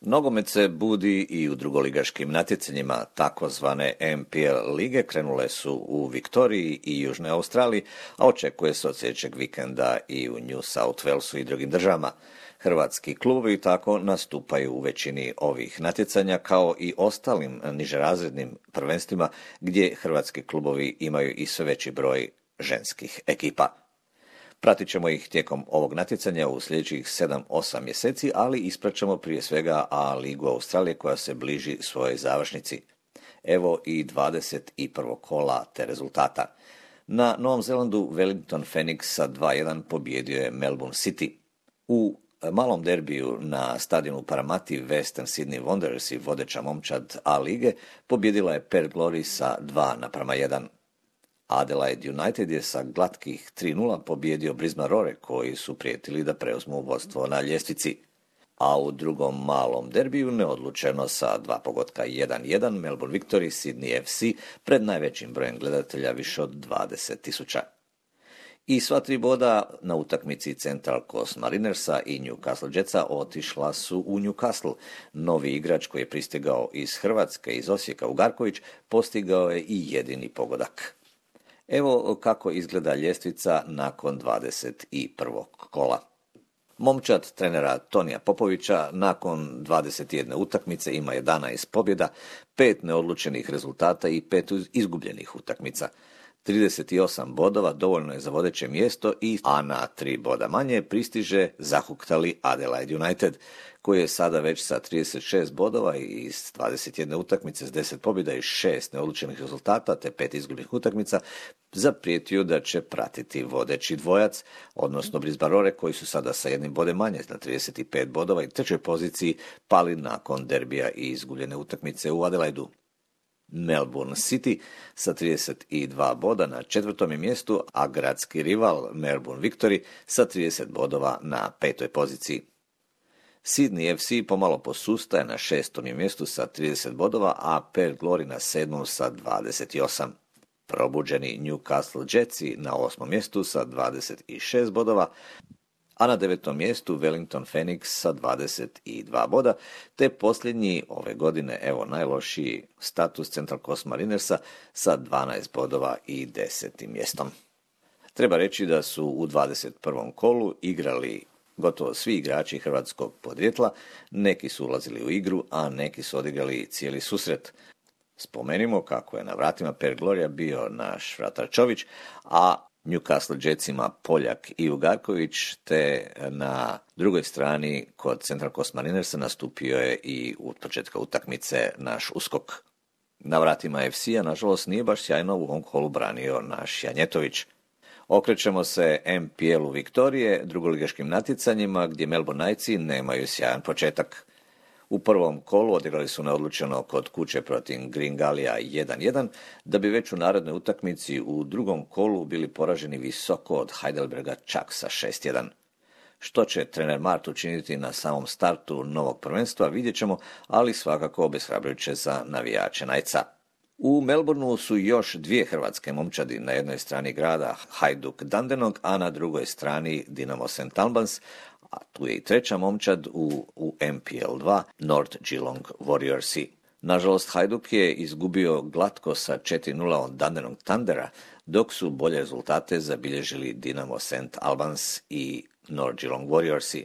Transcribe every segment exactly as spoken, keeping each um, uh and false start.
Nogomet se budi i u drugoligaškim natjecanjima, takozvane M P L lige krenule su u Viktoriji i Južnoj Australiji, a očekuje se od sljedećeg vikenda i u New South Walesu i drugim državama. Hrvatski klubovi tako nastupaju u većini ovih natjecanja kao i ostalim nižerazrednim prvenstvima gdje hrvatski klubovi imaju i sve veći broj ženskih ekipa. Pratit ćemo ih tijekom ovog natjecanja u sljedećih sedam osam mjeseci, ali ispraćamo prije svega A ligu Australije koja se bliži svojoj završnici. Evo i dvadeset prvog kola te rezultata. Na Novom Zelandu Wellington Phoenix sa dva jedan pobjedio je Melbourne City. U malom derbiju na stadionu Paramati Western Sydney Wanderers i vodeća momčad A lige pobjedila je Perth Glory sa dva naprama jedan. Adelaide United je sa glatkih tri nula pobjedio Brisbane Roar koji su prijetili da preuzmu vodstvo na ljestvici. A u drugom malom derbiju neodlučeno sa dva pogotka jedan jedan Melbourne Victory Sydney F C pred najvećim brojem gledatelja više od dvadeset tisuća. I sva tri boda na utakmici Central Coast Marinersa i Newcastle Jetsa otišla su u Newcastle. Novi igrač koji je pristigao iz Hrvatske, iz Osijeka, Ugarković, postigao je i jedini pogodak. Evo kako izgleda ljestvica nakon dvadeset prvog kola. Momčad trenera Tonija Popovića nakon dvadeset jedne utakmice ima jedanaest pobjeda, pet neodlučenih rezultata i pet izgubljenih utakmica. trideset osam bodova dovoljno je za vodeće mjesto, i a na tri boda manje pristiže zahuktali Adelaide United, koji je sada već sa trideset šest bodova i iz dvadeset jedne utakmice s deset pobjeda i šest neodlučenih rezultata te pet izgubljenih utakmica zaprijetio da će pratiti vodeći dvojac, odnosno Brisbane Roar koji su sada sa jednim bodem manje na trideset pet bodova i trećoj poziciji pali nakon derbija i izgubljene utakmice u Adelaidu. Melbourne City sa trideset dva boda na četvrtom je mjestu, a gradski rival Melbourne Victory sa trideset bodova na petoj poziciji. Sydney F C pomalo posustaje, na šestom je mjestu sa trideset bodova, a Perth Glory na sedmom sa dvadeset osam. Probuđeni Newcastle Jetsi na osmom mjestu sa dvadeset šest bodova, a na devetom mjestu Wellington Phoenix sa dvadeset dva boda, te posljednji ove godine, evo najlošiji status Central Coast Marinersa sa dvanaest bodova i desetim mjestom. Treba reći da su u dvadeset prvom kolu igrali gotovo svi igrači hrvatskog podrijetla, neki su ulazili u igru, a neki su odigrali cijeli susret. Spomenimo kako je na vratima Perth Gloria bio naš vratar Čović, a Newcastle Jetsima Poljak i Ugarković, te na drugoj strani kod Central Coast Marinersa nastupio je i u početka utakmice naš Uskok. Na vratima F C-a, nažalost, nije baš sjajno u ovom kolu branio naš Janjetović. Okrećemo se M P L-u Viktorije, drugoligaškim natjecanjima gdje Melbourne Knightsi nemaju sjajan početak. U prvom kolu odigrali su neodlučeno kod kuće protiv Green Gallija jedan jedan, da bi već u narednoj utakmici u drugom kolu bili poraženi visoko od Heidelberga čak sa šest jedan. Što će trener Mart učiniti na samom startu novog prvenstva vidjet ćemo, ali svakako obeshrabrujuće za navijače Knightsa. U Melbourneu su još dvije hrvatske momčadi, na jednoj strani grada Hajduk Dandenong, a na drugoj strani Dinamo Saint Albans, a tu je i treća momčad u, u M P L dva, North Geelong Warriorsi. Nažalost, Hajduk je izgubio glatko sa četiri nula od Dandenong Thundera, dok su bolje rezultate zabilježili Dinamo Saint Albans i North Geelong Warriorsi.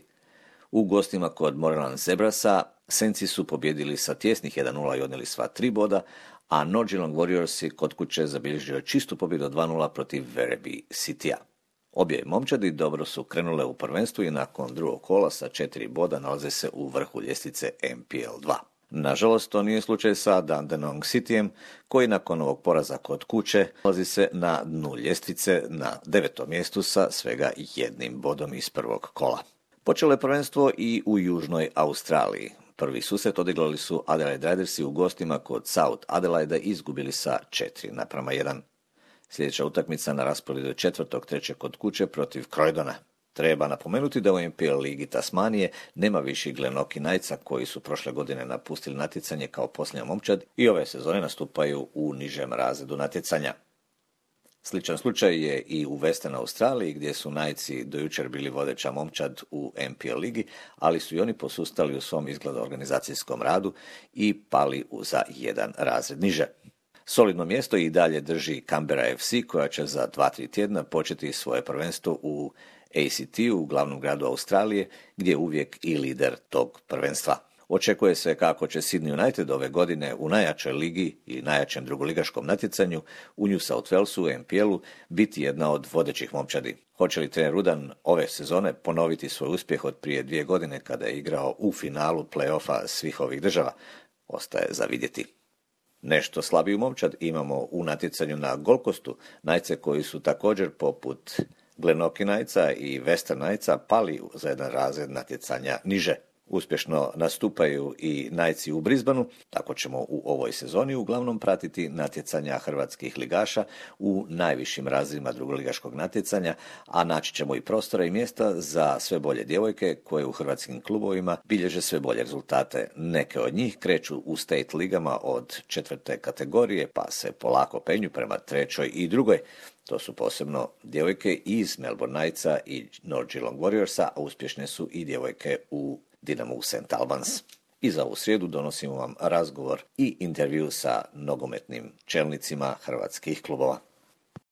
U gostima kod Moreland Zebrasa Saintsi su pobjedili sa tjesnih jedan nula i odnijeli sva tri boda, a North Geelong Warriorsi kod kuće zabilježio čistu pobjedu dva nula protiv Werribee Citya. Obje momčadi dobro su krenule u prvenstvu i nakon drugog kola sa četiri boda nalaze se u vrhu ljestvice M P L dva. Nažalost, to nije slučaj sa Dandenong Cityjem, koji nakon ovog poraza kod kuće nalazi se na dnu ljestvice na devetom mjestu sa svega jednim bodom iz prvog kola. Počelo je prvenstvo i u Južnoj Australiji. Prvi susret odigrali su Adelaide Ridersi u gostima kod South Adelaide i izgubili sa četiri naprama jedan. Sljedeća utakmica na rasporedu je četvrtog trećeg kod kuće protiv Croydona. Treba napomenuti da u M P L ligi Tasmanije nema više Glenorchy Knightsa koji su prošle godine napustili natjecanje kao posljednja momčad i ove sezone nastupaju u nižem razredu natjecanja. Sličan slučaj je i u Western Australiji gdje su Knightsi do jučer bili vodeća momčad u N P L ligi, ali su i oni posustali u svom izgleda organizacijskom radu i pali za jedan razred niže. Solidno mjesto i dalje drži Canberra F C koja će za dva tri tjedna početi svoje prvenstvo u A C T-u, u glavnom gradu Australije, gdje je uvijek i lider tog prvenstva. Očekuje se kako će Sydney United ove godine u najjačoj ligi i najjačem drugoligaškom natjecanju u New South Walesu u N P L-u biti jedna od vodećih momčadi. Hoće li trener Rudan ove sezone ponoviti svoj uspjeh od prije dvije godine kada je igrao u finalu play-offa svih ovih država? Ostaje za vidjeti. Nešto slabiju momčad imamo u natjecanju na Gold Coastu, Knightse koji su također poput Glenorchy Knightsa i Western Knightsa pali za jedan razred natjecanja niže. Uspješno nastupaju i Knightsi u Brisbaneu, tako ćemo u ovoj sezoni uglavnom pratiti natjecanja hrvatskih ligaša u najvišim razredima drugoligaškog natjecanja, a naći ćemo i prostora i mjesta za sve bolje djevojke koje u hrvatskim klubovima bilježe sve bolje rezultate. Neke od njih kreću u state ligama od četvrte kategorije pa se polako penju prema trećoj i drugoj. To su posebno djevojke iz Melbourne Knightsa i North Geelong Warriorsa, a uspješne su i djevojke u Dinamo Saint Albans. I za ovu srijedu donosimo vam razgovor i intervju sa nogometnim čelnicima hrvatskih klubova.